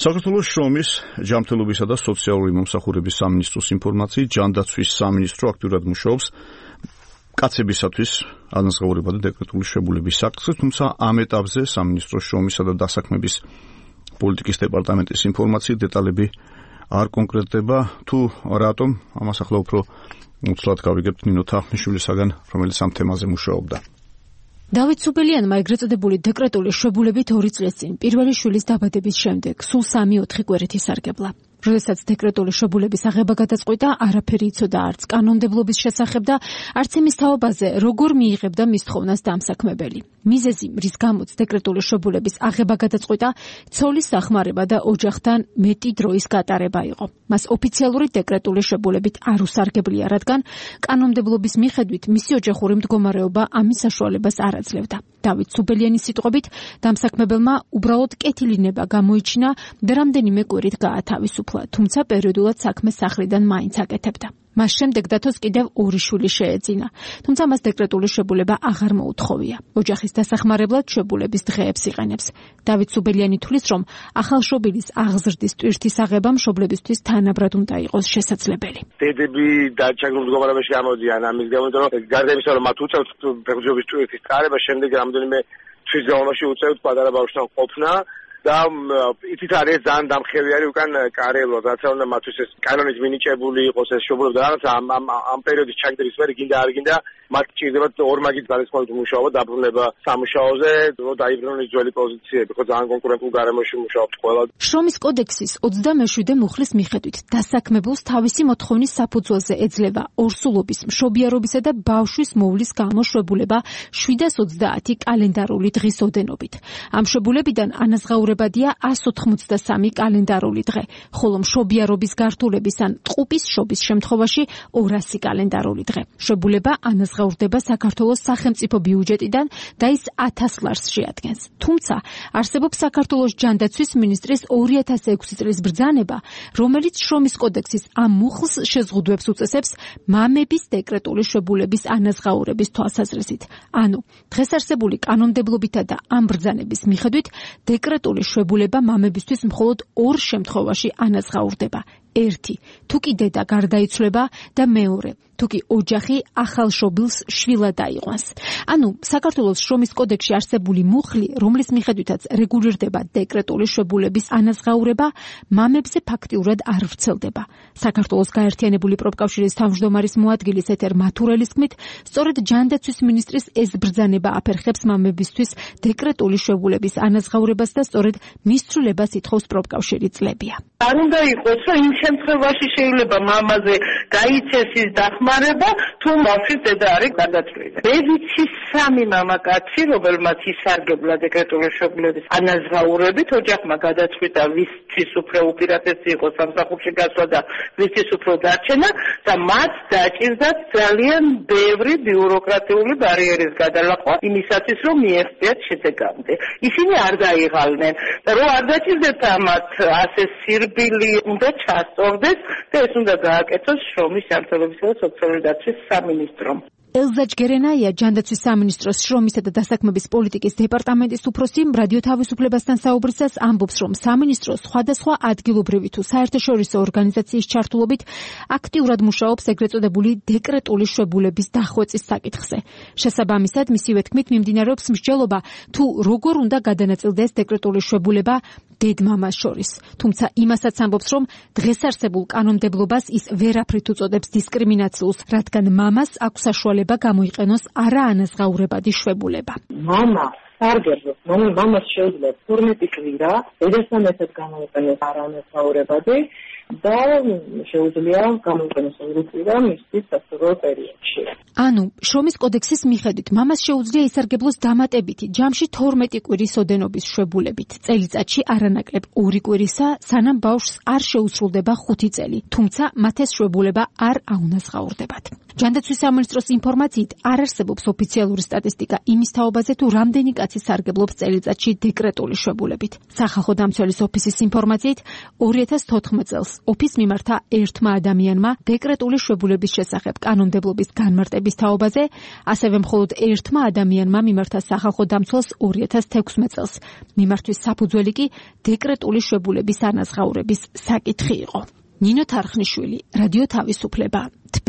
საქართველოს შრომის, ჯანმრთელობისა და სოციალური მომსახურების სამინისტროს ინფორმაციით, ჯანდაცვის სამინისტრო აქტიურად მუშაობს კაცებისათვის ანაზღაურება და დეკრეტული შვებულების საკითხზე, თუმცა ამ ეტაპზე სამინისტროს შრომისა და დასაქმების პოლიტიკის დეპარტამენტის ინფორმაციით დეტალები არ კონკრეტდება, თუ რატომ ამას ახლა უფრო უცვლად გავიგებთ ნინო თახნიშვილისაგან, რომელიც ამ თემაზე მუშაობდა. დავით სუბელიანმა ეგრეთ წოდებული დეკრეტული შვებულებით 2 წლის წინ პირველი შვილის დაბადების შემდეგ სულ 3-4 კვირით ისარგებლა. როდესაც დეკრეტული შვებულების აღება გადაწყვიტა, არაფერი იცოდა არც კანონმდებლობის შესახებ და არც იმის თაობაზე, როგორ მიიღებდა მის თხოვნას დამსაქმებელი. მიზეზი, რის გამოც დეკრეტული შვებულების აღება გადაწყვიტა, ცოლის სახმარება და ოჯახთან მეტი დროის გატარება იყო. მას ოფიციალური დეკრეტული შვებულებით არ უსარგებლია, რადგან კანონმდებლობის მიხედვით მისი ოჯახური მდგომარეობა ამის საშუალებას არ აძლევდა. დავით სუბელიანის სიტყვებით, დამსაქმებელმა უბრალოდ კეთილინება გამოიჩინა და რამდენიმე კვირით გაათავისუფლა, თუმცა პერიოდულად საქმე სახლიდან მაინც აკეთებდა. მას შემდეგ დათოს კიდევ 2 შვილი შეეძინა, თუმცა მას დეკრეტული შვებულება აღარ მოუთხოვია. ოჯახის დასახმარებლად შვებულების დღეებს იყენებს. დავით სუბელიანი თვლის, რომ ახალშობილის აღზრდის ტვირთის აღება მშობლებისთვის თანაბრად უნდა იყოს შესაძლებელი. დედები დაჩაგრულ მდგომარეობაში გამოდიან ამის გამო, რომ გარდა იმისა, რომ მათ უწევთ ფეხბურთის ტვირთის წარება, შემდეგ რამდენიმე თვის განმავლობაში უწევთ პატარა ბავშვთან ყოფნა. და იცით არის ძალიან დამხევიარი უკან კარიერულად, რაც უნდა მათთვის ეს კანონით მინიჭებული იყოს ეს შვებულება და რაღაც ამ პერიოდის ჩაგდრის მერე გინდა არ გინდა მათ ჭირდებათ ორმაგით გარესმოვით მუშაობა, დაბრუნება სამუშაოზე, რომ დაიბრუნონ ძველი პოზიციები, ხო ძალიან კონკურენტულ გარემოში მუშაობთ ყველა. შრომის კოდექსის 27 მუხლის მიხედვით დასაქმებულს თავისი მოთხოვნის საფუძველზე ეძლევა ორსულობის, მშობიარობისა და ბავშვის მოვლის გამოშვებულება 730 კალენდარული დღის ოდენობით. ამ შვებულებიდან ანაზღაურებადია 183 კალენდარული დღე, ხოლო მშობიარობის გართულების ან ტყუპის შობის შემთხვევაში 200 კალენდარული დღე. შვებულება ანაზღაურდება საქართველოს სახელმწიფო ბიუჯეტიდან და ის 1000 ლარს შეადგენს. თუმცა არსებობს საქართველოს ჯანდაცვის მინისტრის 2006 წლის ბრძანება, რომელიც შრომის კოდექსის ამ მუხლს შეზღუდვებს უწესებს მამების დეკრეტული შვებულების ანაზღაურების თვალსაზრისით. ანუ დღეს არსებული კანონმდებლობითა და ამ ბრძანების მიხედვით დეკრეტული შვებულება მამებისთვის მხოლოდ 2 შემთხვევაში ანაზღაურდება. 1. თუ კი დედა გარდაიცვლება და 2. თუ კი ოჯახი ახალშობილს შვილად აიყვანს. ანუ საქართველოს შრომის კოდექსში არსებული მუხლი, რომლის მიხედვითაც რეგულირდება დეკრეტული შვებულების ანაზღაურება, მამებზე ფაქტიურად არ ვრცელდება. საქართველოს გაერთიანებული პროფკავშირის თავმჯდომარის მოადგილის ეთერ მათურელის თქმით, სწორედ ჯანდაცვის მინისტრის ეს ბრძანება აფერხებს მამებისთვის დეკრეტული შვებულების ანაზღაურებას და სწორედ მის ცვლილებას ითხოვს პროფკავშირი წლებია. არ უნდა იყოს, რომ იმ შემთხვევაში შეიძლება მამაზე გაიცეს ის დახმარება, თუ ბავშვის დედა არის გარდაცვლილი. მე ვიცი 3 მამაკაცი, რომელმაც ისარგებლა დეკრეტული შვებულების ანაზღაურებით, ოჯახმა გადაწყვიტა ვისთვის უფრო უპირატესი იყო სამსახურში გასვლა და ვისთვის უფრო დარჩენა და მათ დაჭირდათ ძალიან ბევრი ბიუროკრატიული ბარიერის გადალახვა იმისათვის, რომ მიეღწიათ შედეგამდე. ისინი არ დაიღალნენ და რომ არ დაჭირდეთ ამათ ასე სირბილი უნდა ჩასწორდეს და ეს უნდა გააკეთოს შრომის ჯანმრთელობისა და სოციალური დაცვის სამინისტრომ. ელზა ჯგერენაია, ჯანდაცვის სამინისტროს შრომისა და დასაქმების პოლიტიკის დეპარტამენტის უფროსი, რადიო თავისუფლებასთან საუბრისას ამბობს, რომ სამინისტრო სხვადასხვა ადგილობრივი თუ საერთაშორისო ორგანიზაციის ჩართულობით აქტიურად მუშაობს ეგრეთ წოდებული დეკრეტული შვებულების დახვეწის საკითხზე. შესაბამისად, მისივე თქმით, მიმდინარეობს მსჯელობა, თუ როგორ უნდა გადანაწილდეს დეკრეტული შვებულება დედ-მამას შორის. თუმცა იმასაც ამბობს, რომ დღეს არსებულ კანონმდებლობას ის ვერაფრით უწოდებს დისკრიმინაციულს, რადგან მამას აქვს საშუალება გამოიყენოს არაანაზღაურებადი შვებულება. მამა სარგებლობს, მამას შეუძლია 12 კვირა, დედასთან ერთად გამოიყენოს არაანაზღაურებადი და შეუძლია გამოიყენოს 2 კვირა მისთვის სასწავლო პერიოდში. ანუ შრომის კოდექსის მიხედვით მამას შეუძლია ისარგებლოს დამატებითი ჯამში 12 კვირის ოდენობის შვებულებით. წელიწადში არანაკლებ 2 კვირისა, სანამ ბავშვს არ შეუსრულდება 5 წელი, თუმცა მათ ეს შვებულება არ აუნაზღაურდებათ. ჯანდაცვის სამინისტროს ინფორმაციით არ არსებობს ოფიციალური სტატისტიკა იმის თაობაზე, თუ რამდენი კაცი სარგებლობს წელიწადში დეკრეტული შვებულებით. სახალხო დამცველის ოფისის ინფორმაციით 2014 წელს ოფის მიმართა ერთმა ადამიანმა დეკრეტული შვებულების შესახებ კანონმდებლობის განმარტების თაობაზე, ასევე მხოლოდ ერთმა ადამიანმა მიმართა სახალხო დამცველს 2016 წელს. მიმართვის საფუძველი კი დეკრეტული შვებულების ანაზღაურების საკითხი იყო. ნინო თარხნიშვილი, რადიო თავისუფლება, თბილისი.